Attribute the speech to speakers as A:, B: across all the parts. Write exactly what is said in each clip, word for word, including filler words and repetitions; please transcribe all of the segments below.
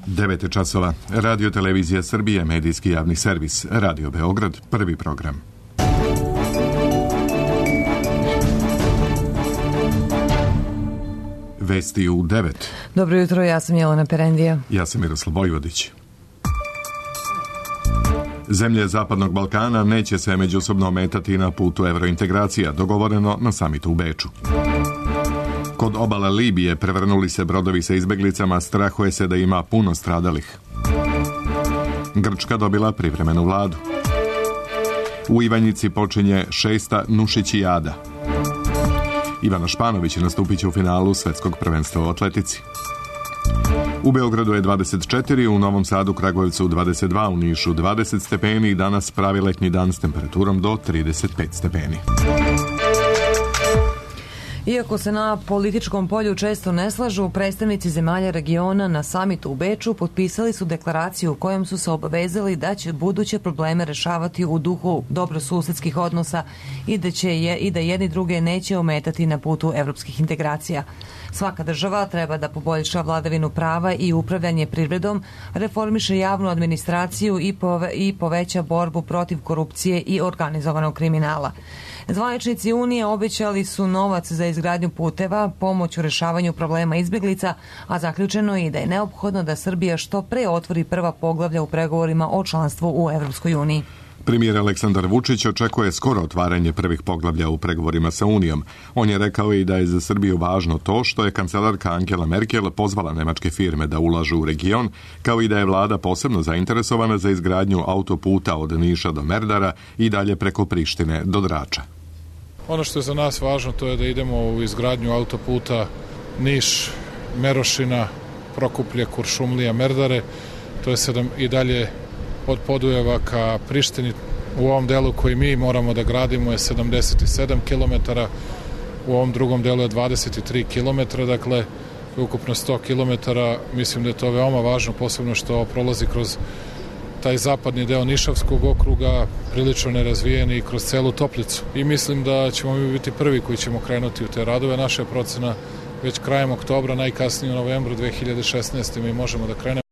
A: devet časova. Radio Televizija Srbije, medijski javni servis. Radio Beograd, prvi program. Vesti u devet.
B: Dobro jutro, ja sam Jelena Perendija.
A: Ja sam Miroslav Vojvodić. Zemlje Zapadnog Balkana neće se međusobno ometati na putu evrointegracija, dogovoreno na samitu u Beču. Kod obale Libije prevrnuli se brodovi sa izbeglicama, strahuje se da ima puno stradalih. Grčka dobila privremenu vladu. U Ivanjici počinje šesta Nušićijada. Ivana Španović nastupit će u finalu svetskog prvenstva u atletici. U Beogradu je dvadeset četiri, u Novom Sadu, Kragujevcu dvadeset dva, u Nišu dvadeset stepeni i danas pravi letnji dan s temperaturom do trideset pet stepeni.
B: Iako se na političkom polju često ne slažu, predstavnici zemalja regiona na samitu u Beču potpisali su deklaraciju u kojom su se obavezali da će buduće probleme rešavati u duhu dobrosusedskih odnosa i da će je i da jedni druge neće ometati na putu evropskih integracija. Svaka država treba da poboljša vladavinu prava i upravljanje privredom, reformiše javnu administraciju i, pove, i poveća borbu protiv korupcije i organizovanog kriminala. Zvaničnici Unije obećali su novac za izgradnju puteva, pomoć u rešavanju problema izbjeglica, a zaključeno je i da je neophodno da Srbija što pre otvori prva poglavlja u pregovorima o članstvu u Evropskoj uniji.
A: Premijer Aleksandar Vučić očekuje skoro otvaranje prvih poglavlja u pregovorima sa Unijom. On je rekao i da je za Srbiju važno to što je kancelarka Angela Merkel pozvala nemačke firme da ulažu u region, kao i da je vlada posebno zainteresovana za izgradnju autoputa od Niša do Merdara i dalje preko Prištine do Drača.
C: Ono što je za nas važno to je da idemo u izgradnju autoputa Niš, Merošina, Prokuplje, Kuršumlija, Merdare. To je sedam i dalje od Podujeva ka Prištini. U ovom delu koji mi moramo da gradimo je sedamdeset sedam kilometara, u ovom drugom delu je dvadeset tri kilometra, dakle ukupno sto kilometara. Mislim da je to veoma važno, posebno što prolazi kroz taj zapadni deo Nišavskog okruga, prilično nerazvijen i kroz celu Toplicu. I mislim da ćemo mi biti prvi koji ćemo krenuti u te radove. Naša je procena već krajem oktobra, najkasnije u novembru dve hiljade šesnaeste. mi možemo da krenemo.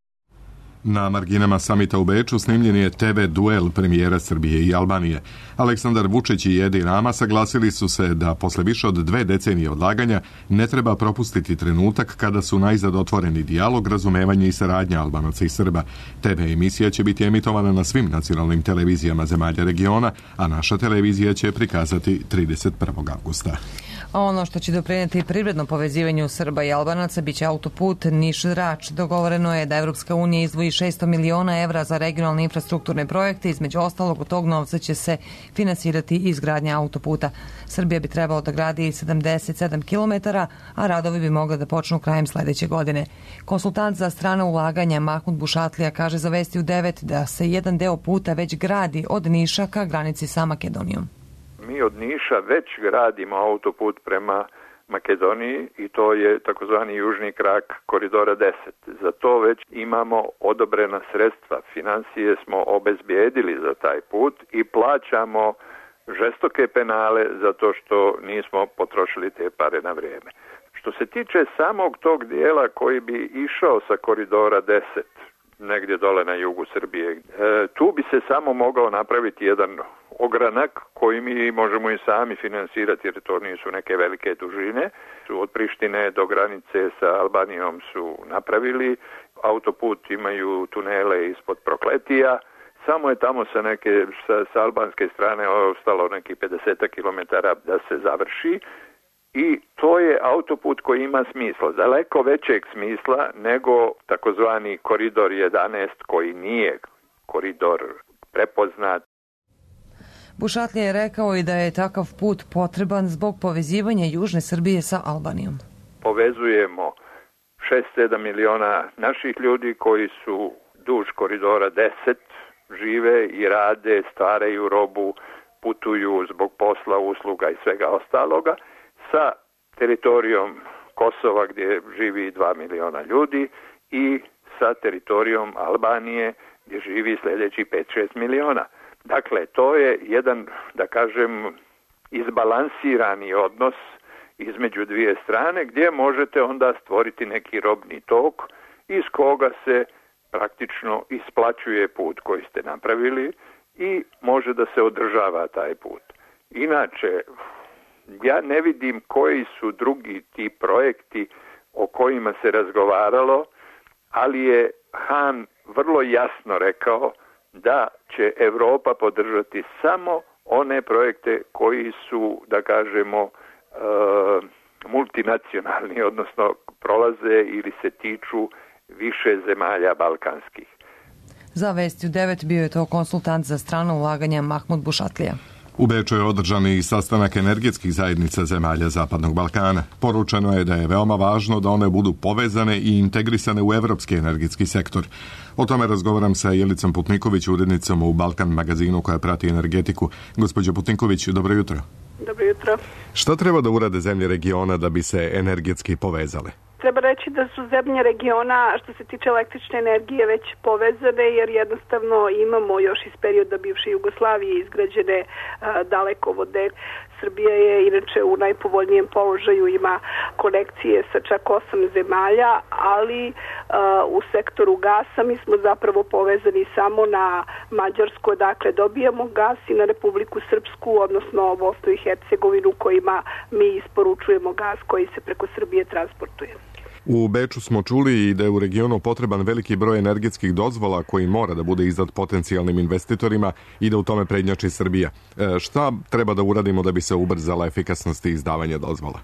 A: Na marginama samita u Beču snimljen je te ve duel premijera Srbije i Albanije. Aleksandar Vučić i Edi Rama saglasili su se da posle više od dve decenije odlaganja ne treba propustiti trenutak kada su najzad otvoreni dijalog, razumevanje i saradnja Albanaca i Srba. te ve emisija će biti emitovana na svim nacionalnim televizijama zemalja regiona, a naša televizija će prikazati trideset prvog avgusta.
B: A ono što će doprineti privrednom povezivanju Srba i Albanaca biće autoput Niš-Drač. Dogovoreno je da Evropska unija izdvoji šesto miliona evra za regionalne infrastrukturne projekte. Između ostalog, od tog novca će se finansirati izgradnja autoputa. Srbija bi trebalo da gradi sedamdeset sedam kilometara, a radovi bi mogli da počnu krajem sledeće godine. Konsultant za strana ulaganja Mahmud Bušatlija kaže za Vesti u devet da se jedan deo puta već gradi od Niša ka granici sa Makedonijom.
D: Mi od Niša već gradimo autoput prema Makedoniji i to je takozvani južni krak koridora deset. Za to već imamo odobrena sredstva. Financije smo obezbijedili za taj put i plaćamo žestoke penale zato što nismo potrošili te pare na vrijeme. Što se tiče samog tog dijela koji bi išao sa koridora deset, negdje dole na jugu Srbije, e, tu bi se samo mogao napraviti jedan ogranak koji mi možemo i sami finansirati jer to nisu neke velike dužine. Od Prištine do granice sa Albanijom su napravili, autoput imaju tunele ispod Prokletija, samo je tamo sa neke sa, sa albanske strane ostalo neki pedeset kilometara da se završi. I to je autoput koji ima smisla, daleko većeg smisla nego takozvani koridor jedanaest koji nije koridor prepoznat.
B: Bušatlija je rekao i da je takav put potreban zbog povezivanja južne Srbije sa Albanijom.
D: Povezujemo šest sedam miliona naših ljudi koji su duž koridora deset, žive i rade, stvaraju robu, putuju zbog posla, usluga i svega ostaloga, sa teritorijom Kosova gdje živi dva miliona ljudi i sa teritorijom Albanije gdje živi sljedeći pet šest miliona. Dakle, to je jedan, da kažem, izbalansirani odnos između dvije strane gdje možete onda stvoriti neki robni tok iz koga se praktično isplaćuje put koji ste napravili i može da se održava taj put. Inače, ja ne vidim koji su drugi ti projekti o kojima se razgovaralo, ali je Han vrlo jasno rekao da će Evropa podržati samo one projekte koji su, da kažemo, uh, multinacionalni, odnosno prolaze ili se tiču više zemalja balkanskih.
B: Za Vesti u devet bio je to konsultant za strano ulaganja Mahmud Bušatlija.
A: U Beču je održan i sastanak energetskih zajednica zemalja Zapadnog Balkana. Poručeno je da je veoma važno da one budu povezane i integrisane u evropski energetski sektor. O tome razgovaram sa Jelicom Putniković, urednicom u Balkan magazinu koja prati energetiku. Gospođo Putniković, dobro jutro.
E: Dobro jutro.
A: Šta treba da urade zemlje regiona da bi se energetski povezale?
E: Treba reći da su zemlje regiona što se tiče električne energije već povezane, jer jednostavno imamo još iz perioda bivše Jugoslavije izgrađene a, dalekovode. Srbija je inače u najpovoljnijem položaju, ima konekcije sa čak osam zemalja, ali uh, u sektoru gasa mi smo zapravo povezani samo na Mađarsku, dakle dobijamo gas, i na Republiku Srpsku, odnosno Bosnu i Hercegovinu, kojima mi isporučujemo gas koji se preko Srbije transportuje.
A: U Beču smo čuli i da je u regionu potreban veliki broj energetskih dozvola koji mora da bude izdat potencijalnim investitorima i da u tome prednjači Srbija. E, šta treba da uradimo da bi se ubrzala efikasnost izdavanja dozvola?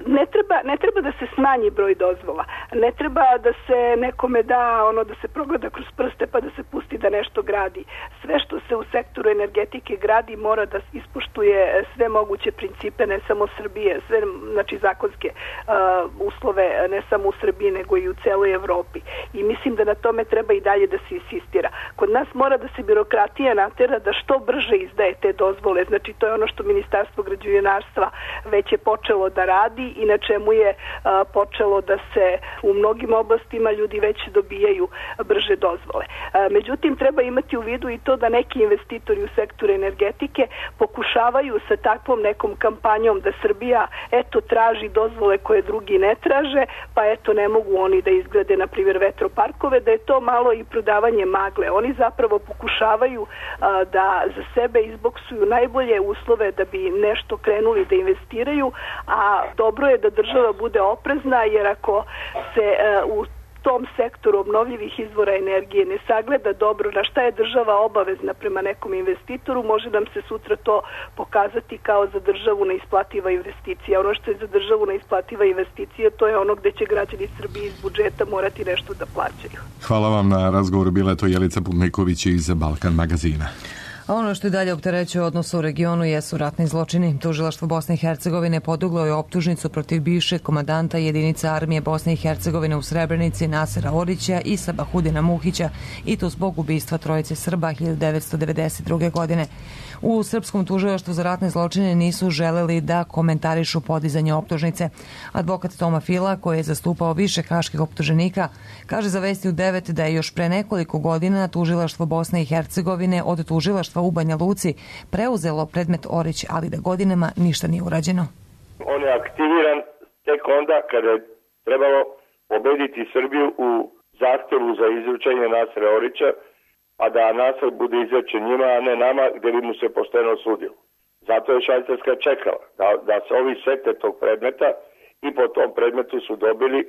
E: Ne treba, ne treba da se smanji broj dozvola, ne treba da se nekome da ono da se progleda kroz prste pa da se pusti da nešto gradi. Sve što se u sektoru energetike gradi mora da ispoštuje sve moguće principe, ne samo Srbije, sve znači zakonske uh, uslove, ne samo u Srbiji nego i u celoj Evropi. I mislim da na tome treba i dalje da se insistira. Kod nas mora da se birokratija natera da što brže izdaje te dozvole, znači to je ono što Ministarstvo građevinarstva već je počelo da radi i na čemu je a, počelo da se u mnogim oblastima ljudi već dobijaju brže dozvole. A, međutim, treba imati u vidu i to da neki investitori u sektoru energetike pokušavaju sa takvom nekom kampanjom da Srbija eto traži dozvole koje drugi ne traže, pa eto ne mogu oni da izgrade na primjer vetroparkove, da je to malo i prodavanje magle. Oni zapravo pokušavaju a, da za sebe izboksuju najbolje uslove da bi nešto krenuli da investiraju, a dobro je da država bude oprezna, jer ako se uh, u tom sektoru obnovljivih izvora energije ne sagleda dobro na šta je država obavezna prema nekom investitoru, može nam se sutra to pokazati kao za državu neisplativa investicija. Ono što je za državu neisplativa investicija, to je ono gde će građani Srbije iz budžeta morati nešto da plaćaju.
A: Hvala vam na razgovoru, bila je to Jelica Putniković iz Balkan magazina.
B: A ono što i dalje opterećuje odnos u regionu jesu ratni zločini. Tužilaštvo Bosne i Hercegovine podiglo je optužnicu protiv bivšeg komandanta jedinica armije Bosne i Hercegovine u Srebrenici Nasera Orića i Sabahudina Muhića, i to zbog ubistva trojice Srba hiljadu devetsto devedeset druge. godine. U Srpskom tužilaštvu za ratne zločine nisu želeli da komentarišu podizanje optužnice. Advokat Toma Fila, koji je zastupao više haških optuženika, kaže za Vesti u devet da je još pre nekoliko godina tužilaštvo Bosne i Hercegovine od tužilaštva u Banja Luci preuzelo predmet Orić, ali da godinama ništa nije urađeno.
F: On je aktiviran tek onda kada je trebalo pobediti Srbiju u zahtevu za izručenje Nasera Orića, a da Nasar bude izrečen njima, a ne nama, gdje bi mu se pošteno sudilo. Zato je Švajcarska čekala da, da se ovi sete tog predmeta i po tom predmetu su dobili,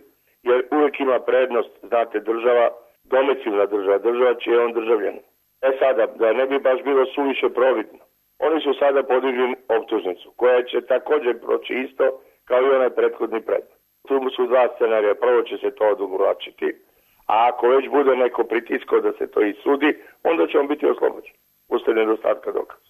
F: jer uvijek ima prednost, znate, država, domicilna država, država čiji je on državljanin. E sada, da ne bi baš bilo suviše providno, oni su sada podigli optužnicu, koja će također proći isto kao i onaj prethodni predmet. Tu su dva scenarija, prvo će se to odugovlačiti, a ako već bude neko pritisko da se to isudi, onda će on biti oslobođen, uslijed nedostatka dokaza.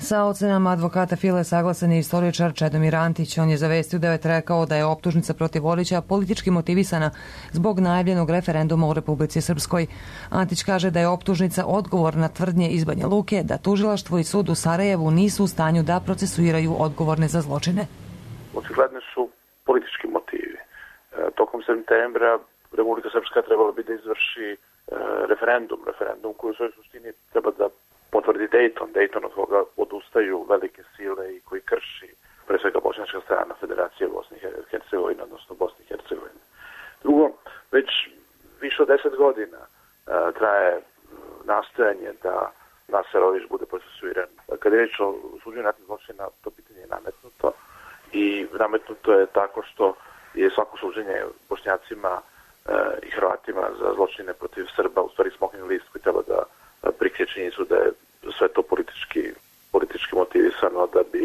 B: Sa ocenama advokata File saglasan je istoričar Čedomir Antić. On je za Vesti u devet rekao da je optužnica protiv Orića politički motivisana zbog najavljenog referenduma u Republici Srpskoj. Antić kaže da je optužnica odgovor na tvrdnje iz Banja Luke da tužilaštvo i sud u Sarajevu nisu u stanju da procesuiraju odgovorne za zločine.
G: Očigledno su politički motivi. E, tokom septembra Republika Srpska trebala bi da izvrši e, referendum, referendum koji u svojoj suštini treba da potvrdi Dayton, Dayton od koga odustaju velike sile i koji krši pre svega bošnjačka strana Federacije Bosne i Hercegovine, odnosno Bosne i Hercegovine. Drugo, već više od deset godina traje nastojanje da Naser Orić bude procesuiran. Kada je reč o suđenju ratnih zločina, to pitanje je nametnuto i nametnuto je tako što je svako suđenje Bošnjacima i Hrvatima za zločine protiv Srba u stvari smokvin list koji treba da prikrije činjenicu da je sve to politički, politički motivisano da bi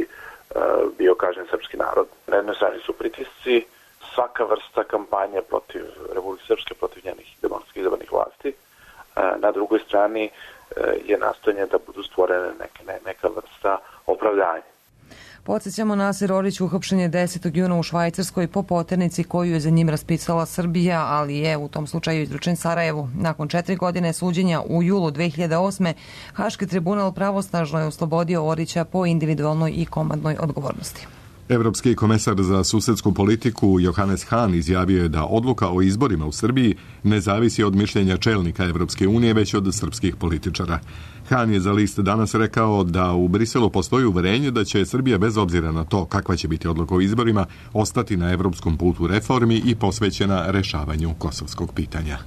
G: bio kažnjen srpski narod. Na jednoj strani su pritisci, svaka vrsta kampanje protiv Republike Srpske, protiv njenih demokratski izabranih vlasti. Na drugoj strani je nastojanje da budu stvorene neke, ne, neka vrsta opravdanja.
B: Podsjećamo, Naser Orić uhapšen je desetog juna u Švajcarskoj po poternici koju je za njim raspisala Srbija, ali je u tom slučaju izručen Sarajevu. Nakon četiri godine suđenja u julu dve hiljade osme. Haški tribunal pravosnažno je oslobodio Orića po individualnoj i komandnoj odgovornosti.
A: Evropski komesar za susedsku politiku Johannes Hahn izjavio je da odluka o izborima u Srbiji ne zavisi od mišljenja čelnika Evropske unije, već od srpskih političara. Hahn je za list Danas rekao da u Briselu postoji uverenje da će Srbija bez obzira na to kakva će biti odluka o izborima ostati na evropskom putu reformi i posvećena rešavanju kosovskog pitanja.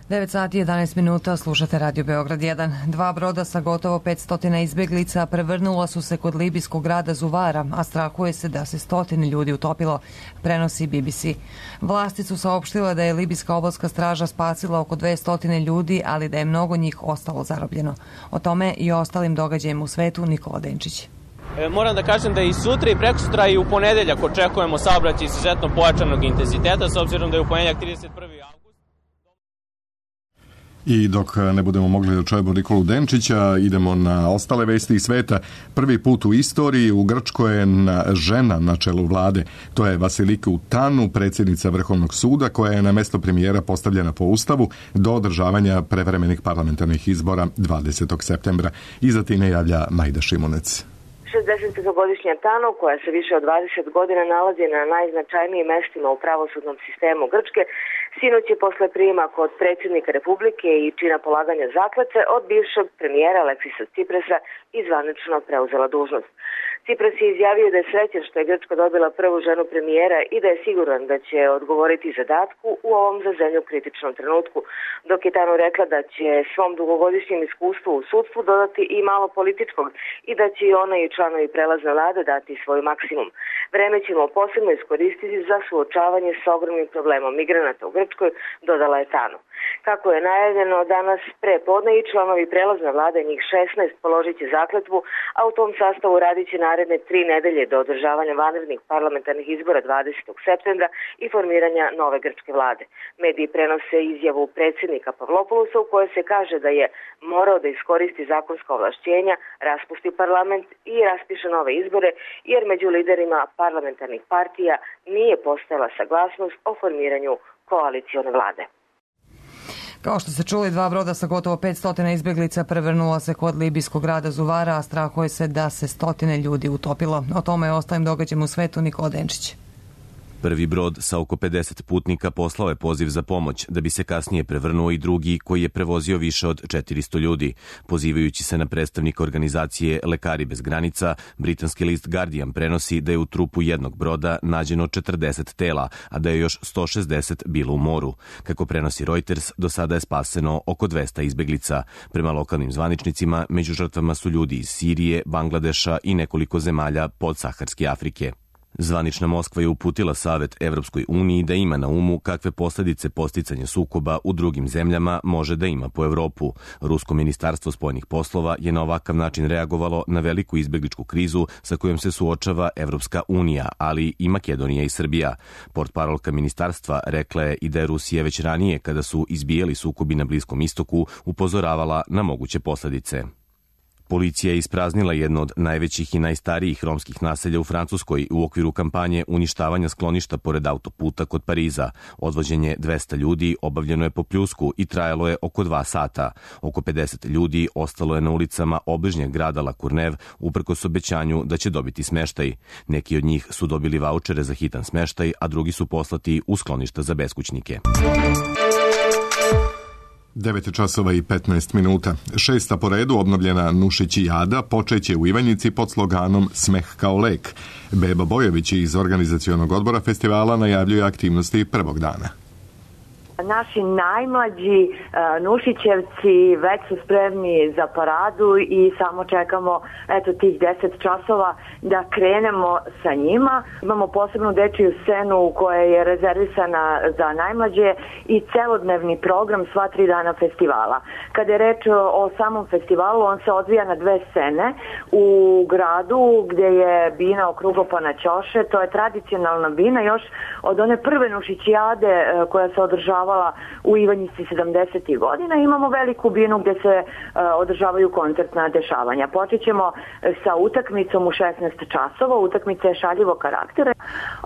B: devet sati i jedanaest minuta, slušate Radio Beograd jedan. Dva broda sa gotovo petsto izbeglica prevrnula su se kod libijskog grada Zuvara, a strahuje se da se stotine ljudi utopilo, prenosi B B C. Vlasti su saopštile da je libijska obalska straža spasila oko dvesta ljudi, ali da je mnogo njih ostalo zarobljeno. O tome i o ostalim događajima u svetu Nikola Denčić.
H: Moram da kažem da i sutra i prekosutra i u ponedeljak očekujemo saobraćaj izuzetno pojačanog intenziteta, s obzirom da je u ponedeljak trideset prvi avgust.
A: I dok ne budemo mogli da čujemo Nikolu Denčića, idemo na ostale vesti iz sveta. Prvi put u istoriji u Grčkoj je žena na čelu vlade. To je Vasiliku Tanu, predsjednica Vrhovnog suda, koja je na mesto premijera postavljena po ustavu do održavanja prevremenih parlamentarnih izbora dvadesetog septembra. Iza time javlja Majda Šimunec.
I: šezdesetpetogodišnja Tano, koja se više od dvadeset godina nalazi na najznačajnijim mestima u pravosudnom sistemu Grčke, sinoć je posle prijema kod predsjednika Republike i čina polaganja zakletve od bivšeg premijera Aleksisa Tsiprasa i zvanično preuzela dužnost. Tsipras je izjavio da je srećan što je Grčka dobila prvu ženu premijera i da je siguran da će odgovoriti zadatku u ovom za zemlju kritičnom trenutku, dok je Tano rekla da će svom dugogodišnjem iskustvu u sudstvu dodati i malo političkog i da će i ona i članovi prelazne vlade dati svoj maksimum. Vreme ćemo posebno iskoristiti za suočavanje s ogromnim problemom migranata u Grčkoj, dodala je Tano. Kako je najavljeno, danas pre podne i članovi prelazne vlade, njih šesnaest, položit će zakletvu, a u tom sastavu radit će naredne tri nedelje do održavanja vanrednih parlamentarnih izbora dvadesetog septembra i formiranja nove grčke vlade. Mediji prenose izjavu predsjednika Pavlopoulosa u kojoj se kaže da je morao da iskoristi zakonska ovlašćenja, raspusti parlament i raspiše nove izbore, jer među liderima parlamentarnih partija nije postojala saglasnost o formiranju koalicione vlade.
B: Kao što ste čuli, dva broda sa gotovo petsto izbeglica prevrnula se kod libijskog grada Zuvara, a strahuje se da se stotine ljudi utopilo. O tome je ostalim događajima u svetu Nikola Denčić.
J: Prvi brod sa oko pedeset putnika poslao je poziv za pomoć, da bi se kasnije prevrnuo i drugi koji je prevozio više od četiristo ljudi. Pozivajući se na predstavnika organizacije Lekari bez granica, britanski list Guardian prenosi da je u trupu jednog broda nađeno četrdeset tela, a da je još sto šezdeset bilo u moru. Kako prenosi Reuters, do sada je spaseno oko dvesta izbeglica. Prema lokalnim zvaničnicima, među žrtvama su ljudi iz Sirije, Bangladeša i nekoliko zemalja podsaharske Afrike. Zvanična Moskva je uputila savet Evropskoj uniji da ima na umu kakve posljedice posticanja sukoba u drugim zemljama može da ima po Evropu. Rusko ministarstvo spoljnih poslova je na ovakav način reagovalo na veliku izbegličku krizu sa kojom se suočava Evropska unija, ali i Makedonija i Srbija. Portparolka ministarstva rekla je i da je Rusija već ranije, kada su izbijali sukobi na Bliskom istoku, upozoravala na moguće posljedice. Policija je ispraznila jedno od najvećih i najstarijih romskih naselja u Francuskoj u okviru kampanje uništavanja skloništa pored autoputa kod Pariza. Odvođenje dvesta ljudi obavljeno je po pljusku i trajalo je oko dva sata. Oko pedeset ljudi ostalo je na ulicama obližnjeg grada La Courneuve uprkos obećanju da će dobiti smeštaj. Neki od njih su dobili vaučere za hitan smeštaj, a drugi su poslati u skloništa za beskućnike.
A: devet časova i petnaest minuta. Šesta po redu obnovljena Nušićijada počeće u Ivanjici pod sloganom Smeh kao lek. Beba Bojović iz organizacionog odbora festivala najavljuje aktivnosti prvog dana.
I: Naši najmlađi uh, Nušićevci već su spremni za paradu i samo čekamo eto tih deset časova da krenemo sa njima. Imamo posebnu dečiju scenu koja je rezervisana za najmlađe i celodnevni program sva tri dana festivala. Kada je reč o samom festivalu, on se odvija na dve scene u gradu gdje je bina okrugopana ćoše. To je tradicionalna bina još od one prve Nušićijade uh, koja se održava u Ivanjici sedamdesetih godina. Imamo veliku binu gdje se uh, održavaju koncertna dešavanja. Počet ćemo sa utakmicom u šesnaest časova. Utakmica je šaljivog karaktera.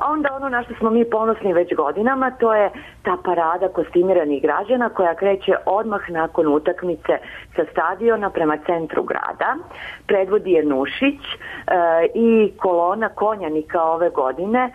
I: A onda ono na što smo mi ponosni već godinama, to je ta parada kostimiranih građana koja kreće odmah nakon utakmice sa stadiona prema centru grada. Predvodi je Nušić uh, i kolona konjanika ove godine uh,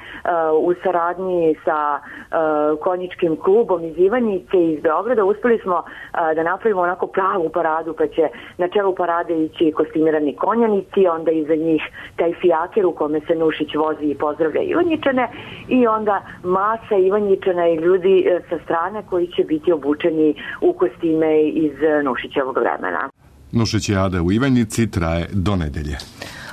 I: u saradnji sa uh, konjičkim klubom iz Ivanjice iz Beograda. Uspeli smo a, da napravimo onako pravu paradu, pa će na čelu parade ići kostimirani konjanici, onda iza njih taj fijaker u kome se Nušić vozi i pozdravlja Ivanjičane i onda masa Ivanjičana i ljudi e, sa strane koji će biti obučeni u kostime iz Nušićevog vremena.
A: Nušićijada u Ivanjici traje do nedelje.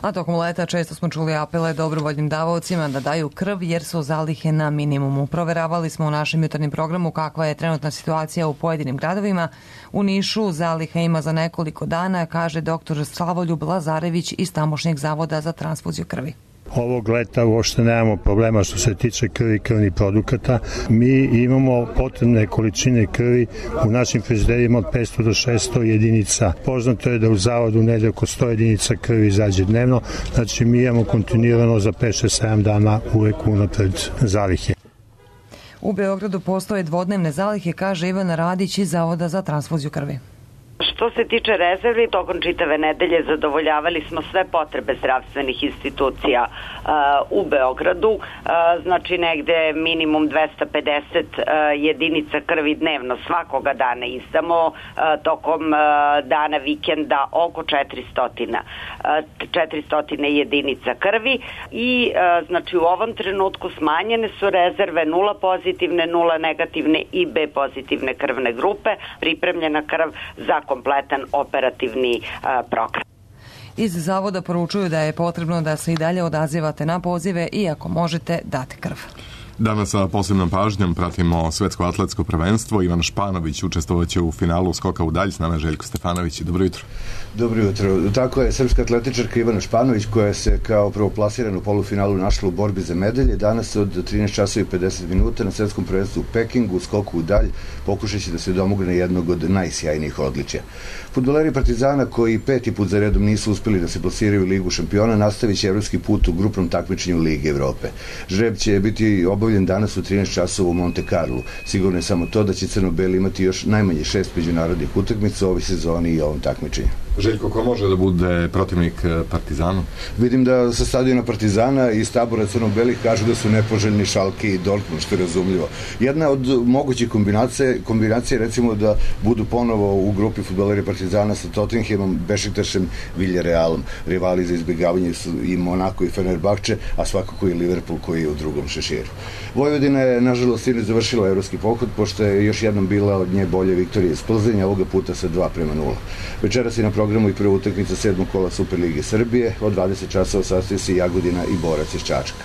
B: A tokom leta često smo čuli apele dobrovoljnim davaocima da daju krv jer su zalihe na minimumu. Proveravali smo u našem jutarnjem programu kakva je trenutna situacija u pojedinim gradovima. U Nišu zaliha ima za nekoliko dana, kaže doktor Slavoljub Lazarević iz tamošnjeg zavoda za transfuziju krvi.
K: Ovog leta uopšte nemamo problema što se tiče krvi i krvnih produkata. Mi imamo potrebne količine krvi u našim frižiderima od petsto do šesto jedinica. Poznato je da u zavodu negde oko sto jedinica krvi izađe dnevno, znači mi imamo kontinuirano za pet šest sedam dana uvek unapred zalihe.
B: U Beogradu postoje dvodnevne zalihe, kaže Ivana Radić iz Zavoda za transfuziju krvi.
L: Što se tiče rezervi, tokom čitave nedelje zadovoljavali smo sve potrebe zdravstvenih institucija uh, u Beogradu, uh, znači negde minimum dvesta pedeset uh, jedinica krvi dnevno svakoga dana izdamo, uh, tokom uh, dana vikenda oko četiristo, uh, četiristo jedinica krvi i uh, znači u ovom trenutku smanjene su rezerve nula pozitivne, nula negativne i B pozitivne krvne grupe, pripremljena krv za kompletan operativni uh, program.
B: Iz zavoda poručuju da je potrebno da se i dalje odazivate na pozive i ako možete date krv.
A: Danas sa posebnom pažnjom pratimo svetsko atletsko prvenstvo. Ivan Španović učestvovaće u finalu skoka u dalj. S nama je Željko Stefanović. Dobro jutro.
M: Dobro jutro. Tako je, srpska atletičarka Ivana Španović, koja se kao prvoplasirana u polufinalu našla u borbi za medalje, danas od trinaest časova i pedeset minuta na svetskom prvenstvu u Pekingu, skoku u dalj, pokušaće da se domogne jednog od najsjajnijih odličja. Fudbaleri Partizana, koji peti put za redom nisu uspeli da se plasiraju u Ligu šampiona, nastavit će evropski put u grupnom takmičenju Lige Evrope. Žreb će biti obavljen danas u trinaest časova u Monte Carlo. Sigurno je samo to da će crno-beli imati još najmanje šest međunarodnih utakmica u ovoj sezoni i ovom takmičenju.
A: Željko, ko može da bude protivnik Partizanu?
M: Vidim da sa stadiona Partizana i iz tabora crno-belih kažu da su nepoželjni Šalke i Dortmund, što je razumljivo. Jedna od mogućih kombinacije, kombinacije recimo da budu ponovo u grupi fudbaleri Partizana sa Tottenhamom, Bešiktašem, Villarrealom. Rivali za izbjegavanje su i Monako i Fenerbahče, a svakako i Liverpool koji je u drugom šeširu. Vojvodina je, nažalost, sinoć završila evropski pohod, pošto je još jednom bila od nje bolje Viktorije iz Plzenja, ovoga puta sa dva prema nula. Večeras je na programu i prva utakmica sedmog kola Superlige Srbije, od dvadeset časova sastoji se Jagodina i Borac iz Čačka.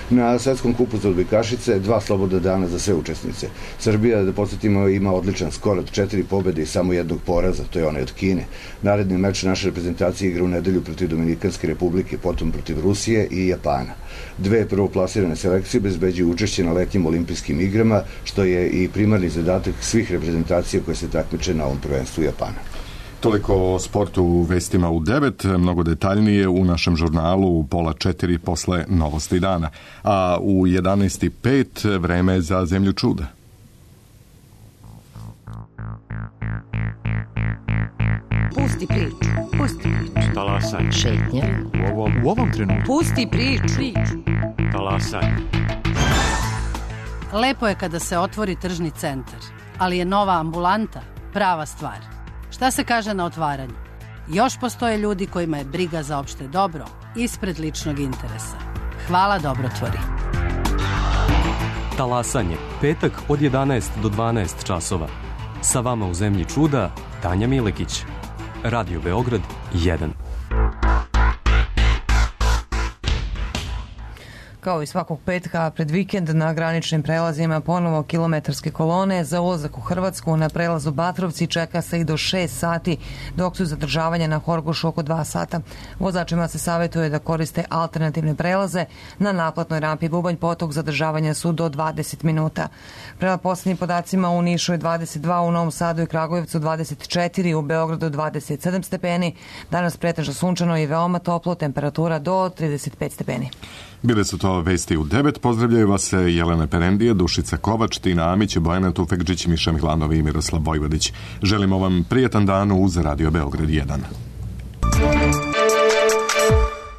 M: Na svetskom kupu za odbojkašice dva slobodna dana za sve učesnice. Srbija, da podsjetimo, ima odličan skor od četiri pobjede i samo jednog poraza, to je onaj od Kine. Naredni meč naše reprezentacije igra u nedelju protiv Dominikanske republike, potom protiv Rusije i Japana. Dve prvoplasirane selekcije obezbeđuju učešće na letnjim olimpijskim igrama, što je i primarni zadatak svih reprezentacija koje se takmiče na ovom prvenstvu Japana.
A: Toliko o sportu u vestima u devet, mnogo detaljnije u našem žurnalu u pola četiri posle novosti dana. A u jedanaest i pet vreme za zemlju čuda.
N: Pusti priču, pusti priču.
O: Talasaj.
N: Šetnja.
O: U ovom, u ovom trenutku.
N: Pusti priču. priču.
O: Talasaj.
N: Lepo je kada se otvori tržni centar, ali je nova ambulanta prava stvar. Šta se kaže na otvaranju? Još postoje ljudi kojima je briga za opšte dobro ispred ličnog interesa. Hvala, dobrotvori.
P: Talasanje, petak od jedanaest do dvanaest časova. Sa vama u zemlji čuda, Tanja Milekić. Radio Beograd jedan.
B: Kao i svakog petka pred vikend na graničnim prelazima ponovo kilometarske kolone. Za ulazak u Hrvatsku na prelazu Batrovci čeka se i do šest sati, dok su zadržavanja na Horgošu oko dva sata. Vozačima se savjetuje da koriste alternativne prelaze. Na naplatnoj rampi Bubanj Potok zadržavanja su do dvadeset minuta. Prema posljednjim podacima u Nišu je dvadeset dva, u Novom Sadu i Kragujevcu dvadeset četiri, u Beogradu dvadeset sedam stepeni. Danas pretežno sunčano i veoma toplo, temperatura do trideset pet stepeni.
A: Bile su to vesti u devet. Pozdravljaju vas se Jelena Perendije, Dušica Kovač, Tina Amić, Bojana Tufekđić, Miša Mihlanov i Miroslav Vojvodić. Želimo vam prijetan dan uz Radio Beograd jedan.